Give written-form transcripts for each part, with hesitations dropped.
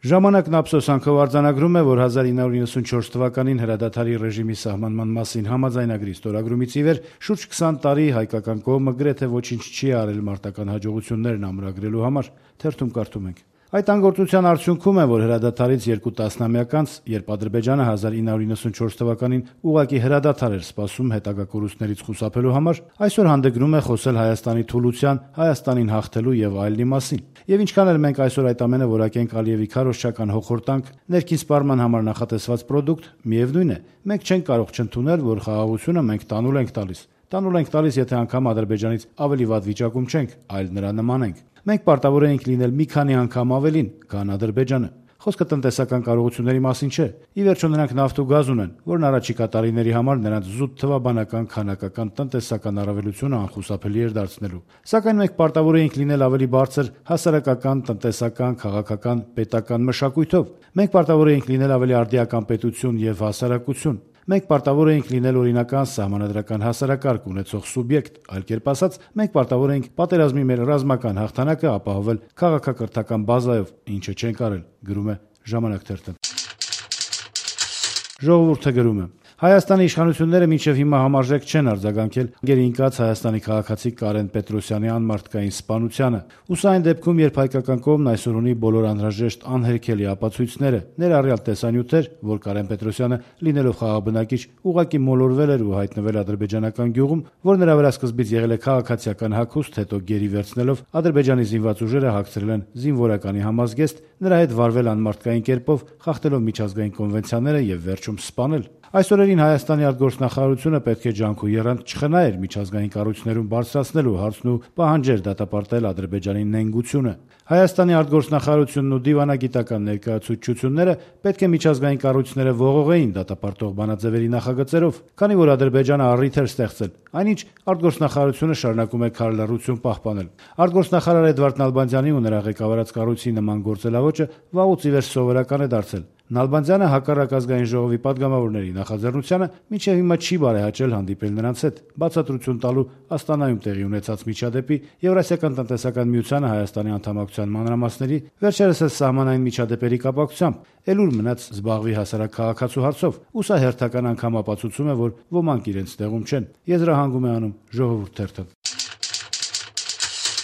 Ժամանակն ափսոսանքով արձանագրում է, որ 1994 թվականին հրադադարի ռեժիմի սահմանման մասին համաձայնագրի ստորագրումից ի վեր շուրջ 20 տարի հայկական կողմը գրեթե ոչինչ չի արել մարտական հաջողություններն ամրագրելու համար, թերթում կարդում ենք. Այդ անգործության արդյունքում է, որ հրադադարից 2 տասնամյակ անց, երբ Ադրբեջանը 1994 թվականին ուղղակի հրադադար էր սպասում հետագա կորուստներից խուսափելու համար, այսօր հանդգնում է խոսել Հայաստանի թուլության, Հայաստանին հաղթելու եւ այլնի մասին։ Եվ ինչքան էլ մենք այսօր այդ ամենը որակենք Ալիևի քարոզչական հոխորտանք, ներքին սպառման համար նախատեսված պրոդուկտ, միևնույն է, մենք չենք կարող չընդունել, որ խաղաղությունը մենք տանուլ ենք տալիս։ Տանուլ ենք տալիս, եթե անգամ Ադրբեջանից ավելի վատ վիճակում չենք, այլ նրա նման ենք։ Մենք պարտավոր ենք լինել մի քանի անգամ ավելին, քան Ադրբեջանը։ Խոսքը տնտեսական կարողությունների մասին չէ։ Ի վերջո նրանք նավթ ու գազ ունեն, որն առաջիկա տարիների համար նրանց զուտ թվաբանական, քանակական, տնտեսական առավելությունը անխուսափելի էր դարձնելու։ Սակայն մենք պարտավոր ենք լինել ավելի բարձր հասարակական, տնտեսական, քաղաքական, պետական մշակույթով։ Մենք պարտավոր ենք լինել ավելի արդիական պետություն եւ հասարակություն։ Մենք պարտավոր ենք լինել օրինական սահմանադրական հասարակարգ ունեցող սուբյեկտ, այլ կերպ ասած, մենք պարտավոր ենք պատերազմի մեր ռազմական հաղթանակը ապահովել քաղաքակրթական բազայով, ինչը չենք արել, գրում է Ժամանակ թերթը։ Ժողովուրդը գրում է. Հայաստանի իշխանությունները մինչև հիմա համարժեք չեն արձագանքել գերինկած Հայաստանի քաղաքացի Կարեն Պետրոսյանի անմարտկային սպանությանը։ Ու սա այն դեպքում, երբ հայկական կողմն այսօր ունի բոլոր անհրաժեշտ անհերքելի ապացույցները, ներառյալ տեսանյութեր, որ Կարեն Պետրոսյանը, լինելով խաղաբնակիչ, ուղղակի մոլորվել էր ու հայտնվել ադրբեջանական գյուղում, որ նրա վրա սկզբից եղել է քաղաքացիական հագուստ, հետո գերի վերցնելով Ադրբեջանի զինված ուժերը հագցրել են զինվորականի համազգեստ, նրա հետ վարվել անմարտկային կերպով, խախտելով միջազգային կոնվենցիաները եւ վերջում սպանել։ Այս օրերին Հայաստանի արտգործնախարարությունը պետք է ջանք ու եռանդ չխնայեր միջազգային կառույցներում բարձրացնելու հարցն ու պահանջեր դատապարտել Ադրբեջանի նենգությունը։ Հայաստանի արտգործնախարարությունն ու դիվանագիտական ներկայացուցչությունները պետք է միջազգային կառույցները ողողեին դատապարտող բանաձևերի նախագծերով, քանի որ Ադրբեջանը առիթ էր ստեղծել, այնինչ արտգործնախարարությունը շարունակում է քարլռություն պահպանել։ Արտգործնախարար Էդվարդ Նալբանդյանի ու նրա ղեկավարած կառույցի նման գործելավոճը վաղուց ի վերջ սովորական է դարձել։ Նալբանդյանը հակառակ ազգային ժողովի падգամավորների նախաձեռնությանը մինչև հիմա չի բարեհաճել հանդիպել նրանց հետ, բացատրություն տալու Աստանայում տեղի ունեցած միջադեպի, Եվրասիական տնտեսական միությանը Հայաստանի անդամակցության մանրամասների, վերջերս սահմանային միջադեպերի կապակցությամբ, ելուր մնաց զբաղվի հասարակ քաղաքացու հարցով, ու սա հերթական անգամ ապացուցում է, որ ոմանք իրենց տեղում չեն, եզրահանգում է անում Ժողովուրդ թերթը։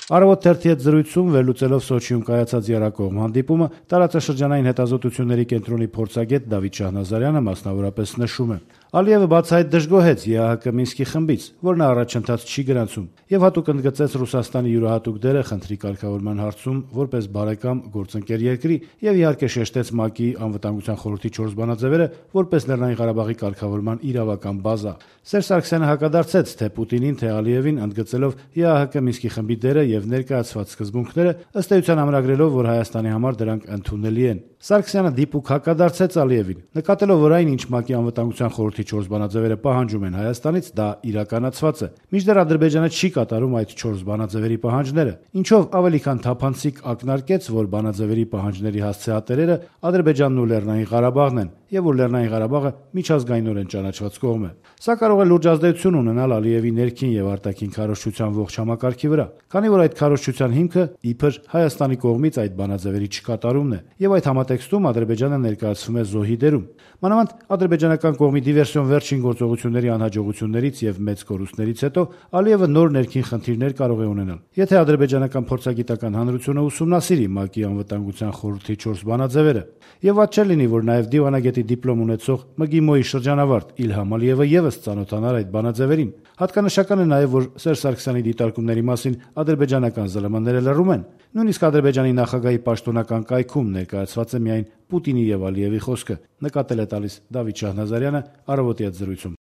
Առավոտ թերթի հետ զրույցում վերլուծելով Սոչիում կայացած եռակողմ հանդիպումը, տարածաշրջանային հետազոտությունների կենտրոնի փորձագետ Դավիթ Շահնազարյանը մասնավորապես նշում է. Ալիևը բացահայտ դժգոհեց ԵԱՀԿ Մինսկի խմբից, որ նա առաջընթաց չի գրանցում, եւ հատուկ ընդգծեց Ռուսաստանի յուրահատուկ դերը խնդրի կարգավորման հարցում որպես բարեկամ գործընկեր երկրի եւ իհարկե շեշտեց ՄԱԿ-ի անվտանգության խորհրդի 4 բանաձևերը որպես Լեռնային Ղարաբաղի կարգավորման իրավական բազա։ Սերժ Սարգսյանը հակադարձեց թե Պուտինին, թե Ալիևին, ընդգծելով ԵԱՀԿ Մինսկի խմբի դերը եւ ներկայացված սկզբունքները, ըստ էության ամրագրելով, որ Հայաստանի համար դրանք ընդունելի են։ Սարգսյանը դիպուկ հակադարձեց Ալիևին, նկատելով, որ այն, ինչ ՄԱԿ-ի անվտանգության խորհրդի 4 բանաձևերը պահանջում են Հայաստանից, դա իրականացված է։ Մինչդեռ Ադրբեջանը չի կատարում այդ 4 բանաձևերի պահանջները, ինչով ավելի քան թափանցիկ ակնարկեց, որ բանաձևերի պահանջների հասցեատերերը Ադրբեջանն ու Լեռնային Ղարաբաղն են, եւ որ Լեռնային Ղարաբաղը միջազգայինորեն ճանաչված կողմ է։ Սա կարող է լուրջ ազդեցություն ունենալ Ալիևի ներքին եւ արտաքին քարոզչության ողջ համակարգի վրա, քանի որ այդ քարոզչության հիմքը իբր Հայաստանի կողմից այդ բանաձևերի չկատարումն է, եւ այդ համատեքստում Ադրբեջանը ներկայացվում է զոհի դերում։ Մանավանդ ադրբեջանական կողմի դիվերսիոն վերջին գործողությունների անհաջողություններից եւ մեծ կորուստներից հետո Ալիևը նոր ներքին խնդիրներ կարող է ունենալ։ Եթե ադրբեջանական փորձագիտական հանրությունը ուսումնասիրի ՄԱԿ-ի անվտանգության խորհրդի 4 բանաձևերը, եւ ված չէ լինի, որ նաեւ դիվանագետի դիպլոմ ունեցող ՄԳԻՄՈ-ի շրջանավարտ Իլհամ Ալիևը եւս ծանոթանար այդ բանաձևերին։ Հատկանշական է նաեւ, որ Սերժ Սարգսյանի դիտարկումների մասին ադրբեջանական ԶԼՄ-ները լռում են։ Նույնիսկ Ադրբեջանի նախագահի պաշտոնական կայքում ներկայացված է միայն Պուտինի եւ Ալիևի խոսքը, նկատել է տալիս Դավիթ Շահնազարյանը առավոտի հետ զրույցում։